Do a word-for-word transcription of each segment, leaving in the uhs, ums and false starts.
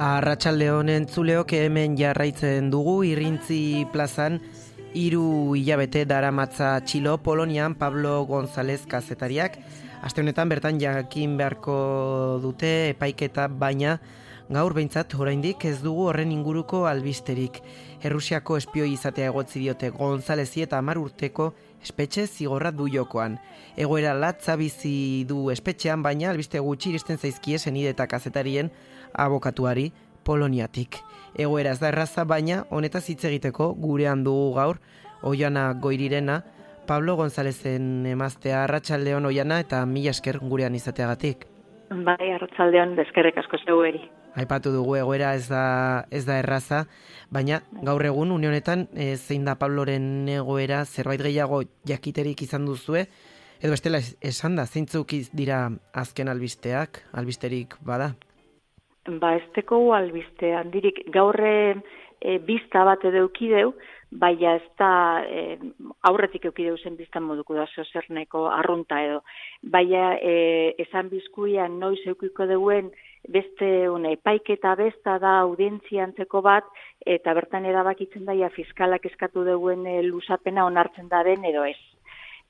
Arratsaldeon entzuleok hemen jarraitzen dugu Irrintzi plazan hiru hilabete daramatza Txilo Polonian Pablo González kazetariak. Aste honetan bertan jakin beharko dute epaiketa, baina gaur behintzat oraindik ez dugu horren inguruko albisterik. Errusiako espioi izatea egotzi diote Gonzálezi eta hamar urteko espetxe zigorra du jokoan. Egoera latza bizi du espetxean, baina albiste gutxi iristen zaizkie senide eta kazetarien abokatuari Poloniatik. Egoera ez da erraza, baina honetaz hitz egiteko gurean dugu gaur Oiana Goirirena, Pablo Gonzálezen emaztea. Arratsaldeon Oiana, eta mila esker gurean izateagatik. Bai, arratsaldeon, eskerrik asko zeueri. Aipatu dugu egoera ez da ez da erraza, baina gaur egun une honetan e, zein da Pabloren egoera, zerbait gehiago jakiterik izan duzue, edo bestela esan da, zeintzuk dira azken albisteak, albisterik bada? Ba, ez teko albiste handirik, gaur e, bizta bat edo eukideu, baina ez da e, aurretik eukideu zen biztan moduko da zozerneko arrunta edo. Baina e, esan bizkuian noiz eukiko deuen beste une, epaiketa besta da audientziantzeko bat, eta bertan erabakitzen daia fiskalak eskatu deuen e, luzapena onartzen da den edo ez.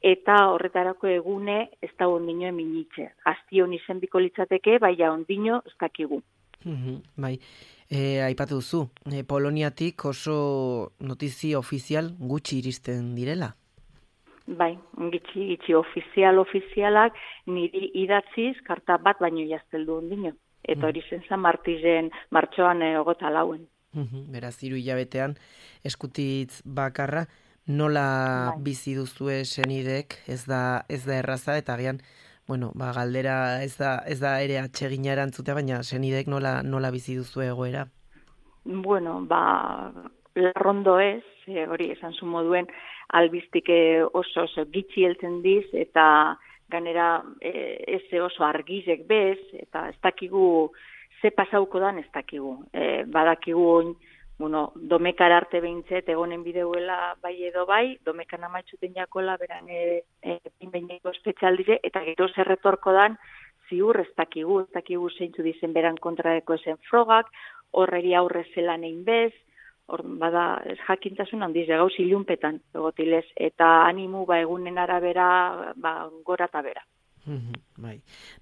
Eta horretarako egune ez da ondino eminitze. Gaztion izen biko litzateke, baina ondino ez dakigu. Mm-hmm, bai, e, aipatu duzu, e, Poloniatik oso notizia ofizial gutxi iristen direla? Bai, gitxi, gitxi ofizial, ofizialak niri idatziz karta bat baino jazteldu ondino. Eta hori zen zan martizen martxoan egota lauen. Mm-hmm, beraz, hiru hilabetean eskutitz bakarra, nola bai. Bizi duzue senidek, ez da, ez da erraza, eta agian, bueno, ba, galdera ez da, ez da ere atsegina erantzutea, baina senidek nola, nola bizi duzue egoera? Bueno, ba, larrondo ez, e, hori esan zu moduen, albistik oso oso gitxi heltzen diz, eta ganera e, ez oso argizek bez, eta ez dakigu ze pasauko dan ez dakigu. E, badakigu, bueno, domekar arte behintzet egonen bideuela bai edo bai, domekan amaitxuten jakola beran e, e, pinbeineko espezialdize, eta gero zerretorko dan ziur ez dakigu, ez dakigu zeintzu dizen beran kontraeko esen frogak, horreri aurre zelan egin bez, hor, bada, jakintasun handiz, gauz ilunpetan, egotilez, eta animu ba egunen arabera, ba, gora eta bera. Mm-hmm, bai,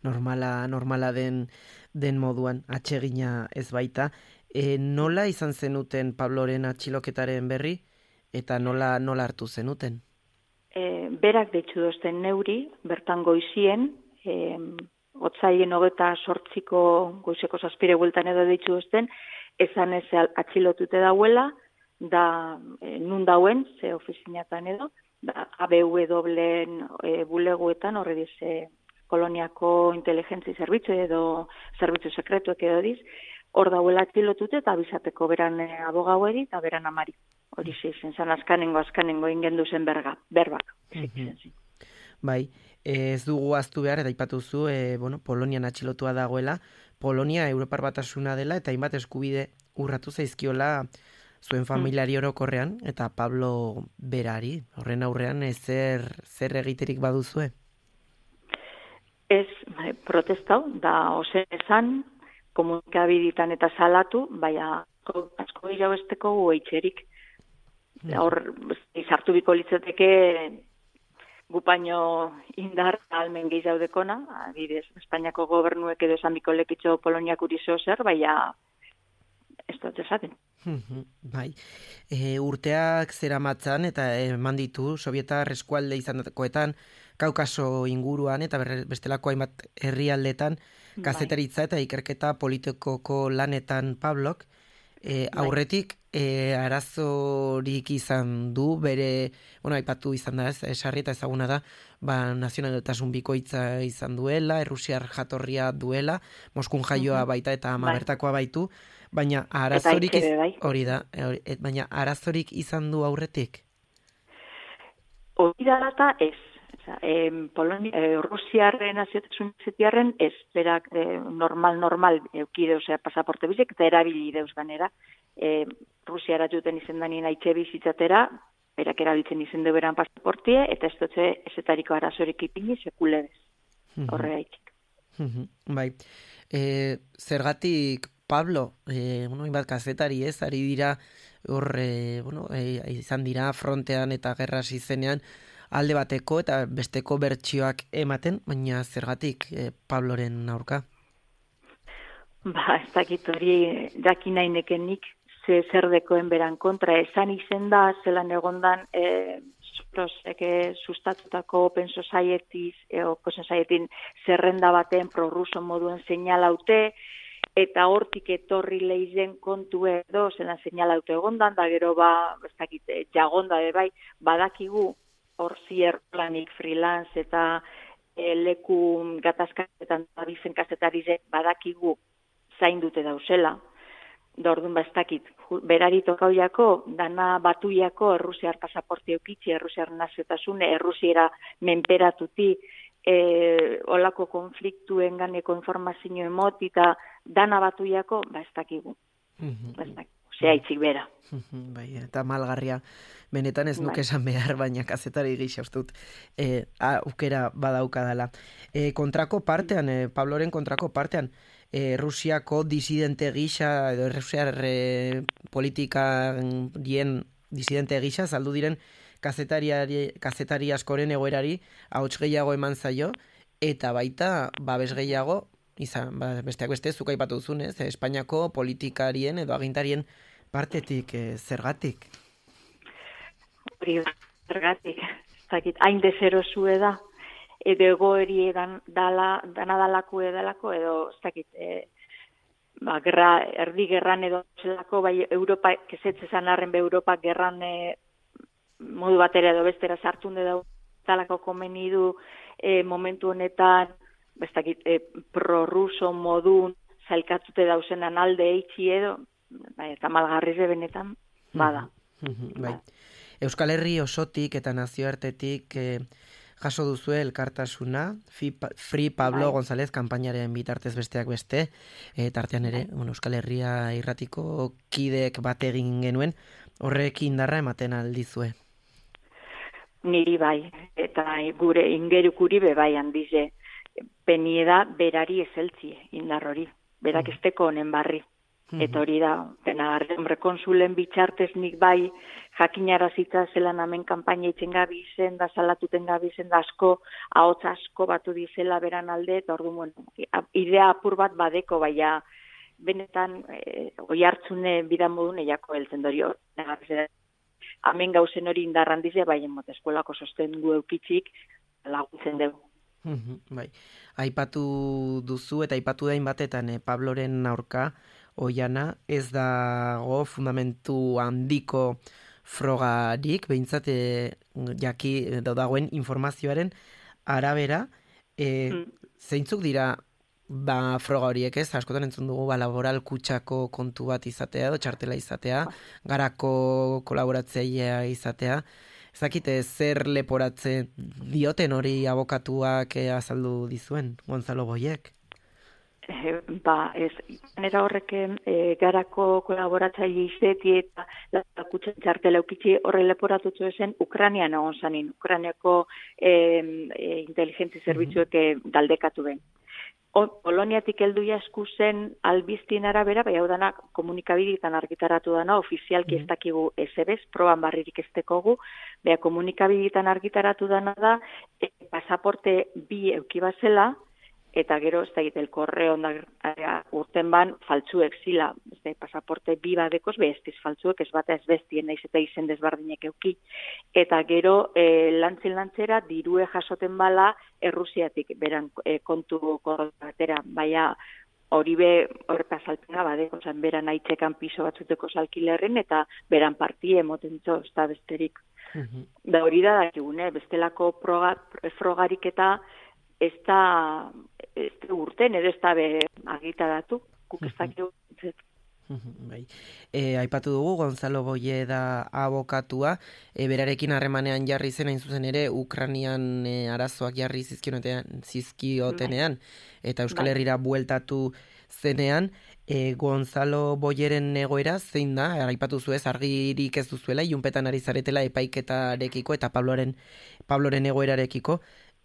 normala, normala den, den moduan, atsegina ez baita. E, nola izan zenuten Pabloren atxiloketaren berri, eta nola, nola hartu zenuten? E, berak deitzu dozten neuri, bertan goizien, e, otzaien hogeta sortziko goizeko zazpire bueltan edo deitzu dozten, esan ez atxilotute dauela, da e, nun dauen, ze ofizinatan edo, da A B W-en e, buleguetan, horre diz, e, koloniako inteligentzi zerbitzu edo zerbitzu sekretuek edo diz, hor dauela atxilotute eta abizateko beran e, abogaueri eta beran amari. Hori zen, zan azkanengo, azkanengo ingendu zen berga, berbak. Mm-hmm. Bai, ez dugu aztu behar, eta ipatuzu, e, bueno, Polonian atxilotua dagoela, Polonia Europar Batasuna dela, eta hainbat eskubide urratu zaizkiola zuen familiari orokorrean, eta Pablo berari, horren aurrean, ez zer, zer egiterik baduzue? Ez, bai, protestau, da ozen esan, komunikabiditan eta salatu, baina asko dira besteko guaitxerik. Hor, izartu biko litzateke gupaino indar almen gehizaudekona, adibidez, Espainiako gobernuek edo esan biko lekitxo Poloniak urizo zer, baina ez dut esaten. Bai, e, urteak zera matzan eta eman ditu Sovietar eskualde izandakoetan, Kaukaso inguruan eta bestelako hainbat herrialdetan kazetaritza eta ikerketa politikoko lanetan Pablok, e, aurretik e, arazorik izan du, bere, bueno, aipatu izan da ez, esarri eta ezaguna da, ba, nazionaltasun bikoitza izan duela, errusiar jatorria duela, Moskun jaioa baita eta ama bertakoa baitu, baina arazorik iz... hori da, hori, et, baina arazorik izan du aurretik? Hori da data ez. Eh, Polonia, eh, Rusiarren naziotasun zetiarren ez, berak eh, normal, normal eukide, osea, pasaporte bizek, eta erabili deuz ganera. Eh, Rusiara juten izen danien aitxe bizitzatera, berak erabiltzen izen du beran pasaportie, eta ez dutze ezetariko arazorik ipini sekulebez. Horre haitik. Bai. E, zergatik Pablo, e, bueno, inbat kazetari ez, ari dira, hor, e, bueno, e, izan dira frontean eta gerra izenean alde bateko eta besteko bertsioak ematen, baina zergatik e, Pabloren aurka? Ba, ez dakit hori jakin nahi nekenik, ze zer dekoen beran kontra, esan izen da, zelan egondan, e, Sorosek sustatutako Open Society, e, Open Society zerrenda baten prorruso moduen seinalaute, eta hortik etorri leizen kontu edo, zelan seinalaute egondan, da gero ba, ez dakit, jagonda de bai, badakigu, hor zierplanik freelance eta e, leku gatazkatetan abizen kazetarize badakigu zain dute dauzela. Da orduan ba ez dakit, berari tokauiako, dana batuiako errusiar pasaporte eukitzi, errusiar naziotasune, errusiera menperatuti, e, olako konfliktuen ganeko informazio emoti eta dana batuiako, ba ez dakigu. Mm-hmm. Ba ez dakigu. Zea itzik bera. Bai, eta malgarria. Benetan ez nuke esan behar, baina kazetari gisa ustut e, aukera badaukadala. E, kontrako partean, e, Pabloren kontrako partean, e, Rusiako disidente gisa, edo Rusiar e, politika dien disidente gisa, saldu diren kazetari, kazetari askoren egoerari ahots gehiago eman zaio, eta baita babes gehiago, izan, ba, besteak beste, zuk aipatu duzunez, Espainiako politikarien edo agintarien partetik, e, zergatik? Hori zergatik, zakit, hain deserosue da, edo egoeri edan, dala, dana dalako edalako, edo zakit, e, ba, gerra, erdi gerran edo zelako, bai Europa, kesetzezan arren be Europa gerran e, modu batera edo bestera sartun edo dalako komeni du e, momentu honetan, bestakit, e, prorruso modun zailkatzute dauzenan alde eitzi edo, bai, eta malgarrize benetan, bada. Bai. Euskal Herri osotik eta nazioartetik eh, jaso duzu elkartasuna, Free Pablo bai. González kanpainaren bitartez besteak beste, e, tartean ere, bueno, Euskal Herria irratiko kideek bat egin genuen, horrek indarra ematen aldizue. Niri bai, eta gure ingerukuri be bai handize, penieda berari ezeltzie indar hori, berak esteko honen barri. Eta hori da, dena hombre konsulen bitxartez nik bai jakinarazitza zelan hemen kanpaina itzen gabi zen, da salatuten gabi zen, da asko, ahots asko batu dizela beran alde, eta ordu, bueno, idea apur bat badeko, baina benetan e, oi hartzune bidan modun eiako heltzen dori hor. Hemen gauzen hori indarran dize, bai emot eskolako sosten gu eukitzik laguntzen dugu. Bai, aipatu duzu eta aipatu dain batetan eh, Pabloren aurka, oiana, ez dago fundamentu handiko frogarik, behintzat e, jaki dagoen informazioaren arabera, e, mm. zeintzuk dira ba, froga horiek ez, askotan entzun dugu ba, laboral kutsako kontu bat izatea, edo txartela izatea, garako kolaboratzailea izatea, ezakite zer leporatzen dioten hori abokatuak e, azaldu dizuen, Gonzalo Boyek? Eh, ba, ez, nera horreken e, garako kolaboratzaile izeti eta lakutsen txartela eukitzi horre leporatutu ezen Ukranian egon zanin, Ukraniako e, e, inteligentzi zerbitzuek e, daldekatu ben. O, Poloniatik heldu jasku zen albiztien arabera, bai hau dana komunikabideetan argitaratu dana, ofizialki mm. ez dakigu ezebez, proban barririk ez dekogu, bai komunikabideetan argitaratu dana da, e, pasaporte bi eukibazela, eta gero, ez da egite, el korreo urten ban, faltzuek zila, ez da, pasaporte bi badekoz, behestiz faltzuek, ez bata ez bestien, naiz eta izen desbardinek euki. Eta gero, e, lantzin lantzera, dirue jasoten bala, Errusiatik, beran e, kontu korratera, baina hori be, horreta salpena badeko, zan beran aitzekan piso batzuteko salkilerren, eta beran partie emotentzo, ez da besterik. Mm-hmm. Da hori da dakigune, bestelako proga, frogarik eta ez da, ez da urten, edo ez da agitaratu, guk ez dakigu. Bai. E, aipatu dugu, Gonzalo Boye da abokatua, e, berarekin harremanean jarri zen, hain zuzen ere, Ukranian e, arazoak jarri zizkiotenean, eta Euskal Herrira bueltatu zenean, e, Gonzalo Boyeren egoera zein da, aipatu zuez, argirik ez duzuela, ilunpetan ari zaretela epaiketarekiko, eta Pabloren, Pabloren egoerarekiko,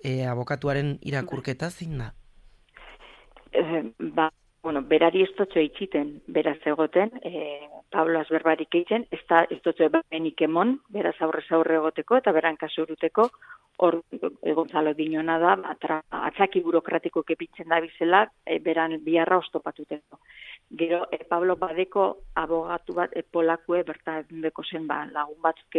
E, abokatuaren irakurketa zein da? E, ba, bueno, berari ez dutxo itxiten, beraz egoten, e, Pablo azberbarik egiten, ez da ez dutxo benik emon, beraz aurrez aurre egoteko, eta beran kasuruteko, hor Gonzalo dinona da, atra, atzaki burokratiko kepitzen da bizela, e, beran biharra ostopatuteko. Gero, e, Pablo badeko abogatu bat, e, polakue, bertan deko zen ba, lagun batzuk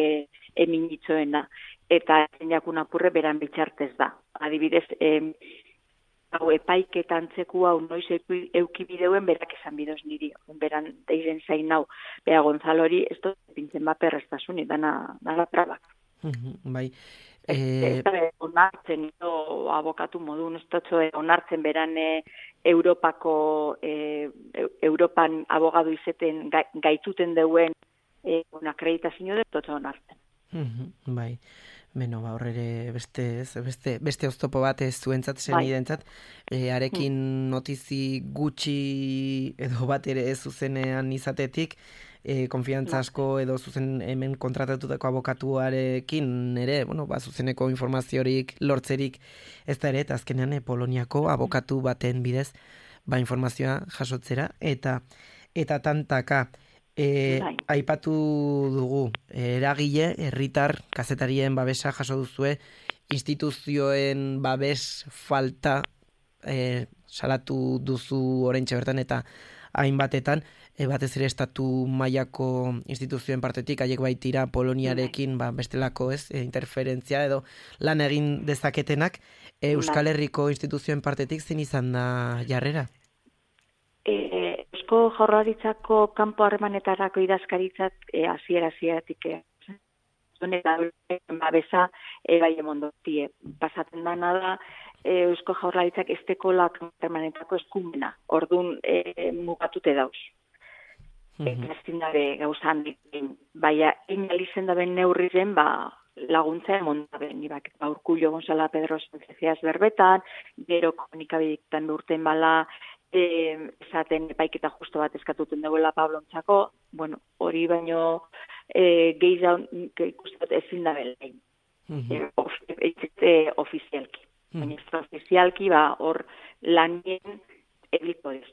emin itzoena, eta jakun apurre beran bitxartez da. Adibidez, e, hau epaiketan txeku hau noiz eukibideuen berak esan bidoz niri. Beran deiren zain hau, bea Gonzalori, ez dut pintzen bat perreztasuni, dana, dana trabak. Bai. Ez da onartzen, edo abokatu modun, ez dut onartzen beran Europako, Europan abogadu izeten gaituten deuen una akreditazio dut dut onartzen. Bai. Beno, ba, horre beste, beste, beste oztopo bat ez zuentzat, senidentzat, e, arekin notizi gutxi edo bat ere ez zuzenean izatetik, e, konfiantza asko edo zuzen hemen kontratatutako abokatuarekin ere, bueno, ba, zuzeneko informaziorik, lortzerik ez da ere, eta azkenean e, Poloniako abokatu baten bidez, ba, informazioa jasotzera, eta eta tantaka, E, aipatu dugu, eragile, herritar, kazetarien babesa jaso duzue, instituzioen babes falta e, salatu duzu oraintxe bertan eta hainbatetan, e, batez ere estatu mailako instituzioen partetik, haiek baitira Poloniarekin ba, bestelako ez, e, interferentzia edo lan egin dezaketenak, e, Euskal Herriko instituzioen partetik zein izan da jarrera? Eusko Jaurlaritzako kanpo harremanetarako idazkaritzat hasiera hasieratik eta babesa bai emondotie. Pasatzen dana da Eusko Jaurlaritzak esteko harremanetako eskumena. Ordun e, mugatute dauz. Eta ezin dabe gauzan baina inalizen daben neurriren ba laguntza emondaben. Ibak, ba, Urkullo Gonzala Pedro Espezieaz berbetan, gero komunikabidetan urten bala E, esaten epaiketa justo bat eskatuten duela Pablontzako, bueno, hori baino e, gehiago ikustot ezin da belein. Mm-hmm. e, of, e, ofizialki. Mm-hmm. Baina ofizialki, ba, hor lanien ediko ez.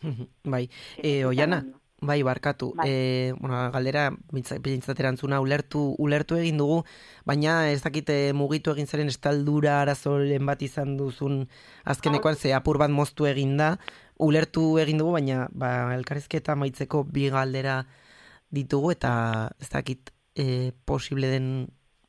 Mm-hmm. Bai, e, Oiana, bai, barkatu. Bai. E, bueno, galdera, bintzaterantzuna, ulertu, ulertu egin dugu, baina ez dakite mugitu egin zaren estaldura arazoren bat izan duzun azkenekoan, ze apur bat moztu egin da, ulertu egin dugu, baina ba, elkarrizketa maitzeko bi galdera ditugu, eta ez dakit e, posible den,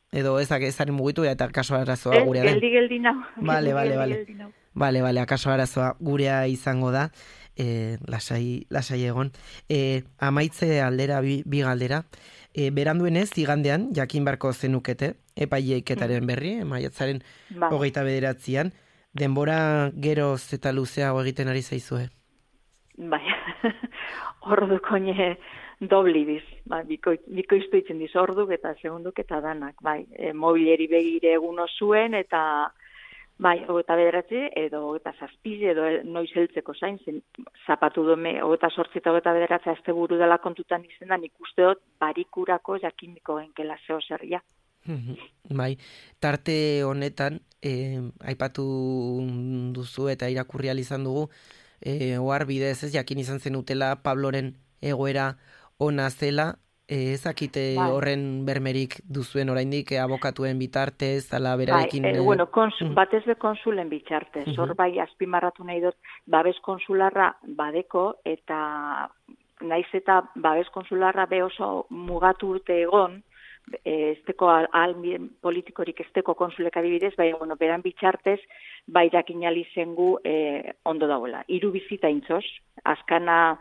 edo ez dakit ezaren mugitu, eta akaso arazoa gurea den. Geldi, geldi nau. Bale, bale, bale. Bale, bale, akaso arazoa gurea izango da. E, lasai, lasai egon. E, amaitze aldera bi, bi galdera. E, beranduenez, igandean, jakin barko zenukete, epaileiketaren berri, maiatzaren ba. hogeita bederatzian, denbora geroz eta luzeago egiten ari zaizue? Bai, ordu koine doblibiz, ba, biko, biko iztuitzen diz orduk eta segunduk eta danak, bai, e, mobileri begire eguno zuen eta bai, hogeta bederatzi, edo hogeta zazpizi, edo noiz heltzeko zain, zen zapatu dome, hogeta sortzi eta hogeta bederatza azte buru dela kontutan izendan, ikuste dut barikurako jakiniko genkela zeo zerria. Bai, tarte honetan, eh, aipatu duzu eta irakurri izan dugu, eh, ohar bidez ez jakin izan zenutela Pabloren egoera ona zela, Eh, ezakite bai. horren bermerik duzuen oraindik eh, abokatuen bitartez, ala berarekin... Bai, eh, bueno, konsul, mm. batez be konsulen bitartez, hor uh-huh. bai azpimarratu nahi dut, babes konsularra badeko, eta naiz eta babes konsularra be oso mugatu urte egon, eh, esteko ahalmen politikorik esteko konsulek adibidez, bai, bueno, beran bitartez, bai dakinali zengu eh, ondo dagoela. Hiru bizita intzoz, azkana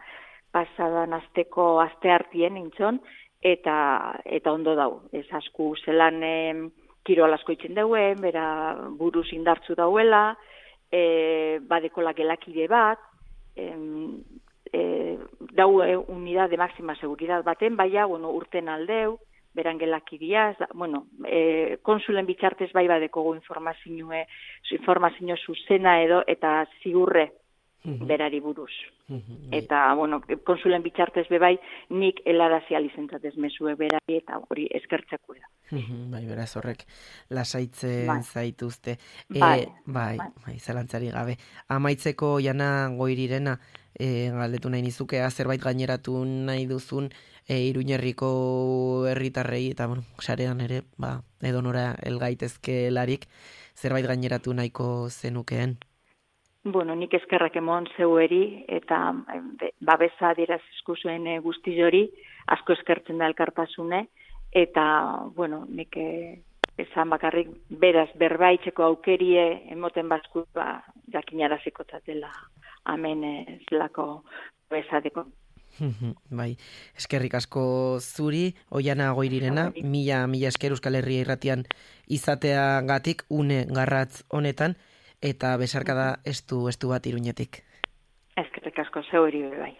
pasadan azteko aste hartien intzon, eta eta ondo dau. Ez asku zelan eh, kirol asko itzen dauen, bera buruz indartzu dauela, eh, badekola gelakide bat, eh, eh, dau eh, unidad de máxima seguridad baten, baina bueno, urten aldeu, beran gelakidia, bueno, eh, konsulen bitartez bai badekogu informazioe, informazio zuzena edo, eta ziurre, berari buruz. Eta, bueno, konsulen bitxartez bebai, nik helarazi alizentzatez mesue berari, eta hori eskertzeko da. Bai, beraz horrek lasaitzen bai. zaituzte. Bai, e, bai, bai, bai, zalantzari gabe. Amaitzeko Oiana Goirirena, e, galdetu nahi nizukea, zerbait gaineratu nahi duzun, e, Iruñerriko herritarrei, eta, bueno, sarean ere, ba, edonora elgaitezkelarik, zerbait gaineratu nahiko zenukeen. Bueno, nik eskerrak emon zeueri, eta babesa adierazizku zuen guzti hori, asko eskertzen da elkartasune, eta, bueno, nik esan bakarrik beraz berbaitzeko aukerie emoten bazku, ba, jakinaraziko dela hemen zelako babesateko. Bai, eskerrik asko zuri, Oiana Goirirena, mila, mila esker Euskal Herria irratian izateagatik une garratz honetan, eta besarkada estu, estu bat Iruñetik. Eskerrik asko zeu bai.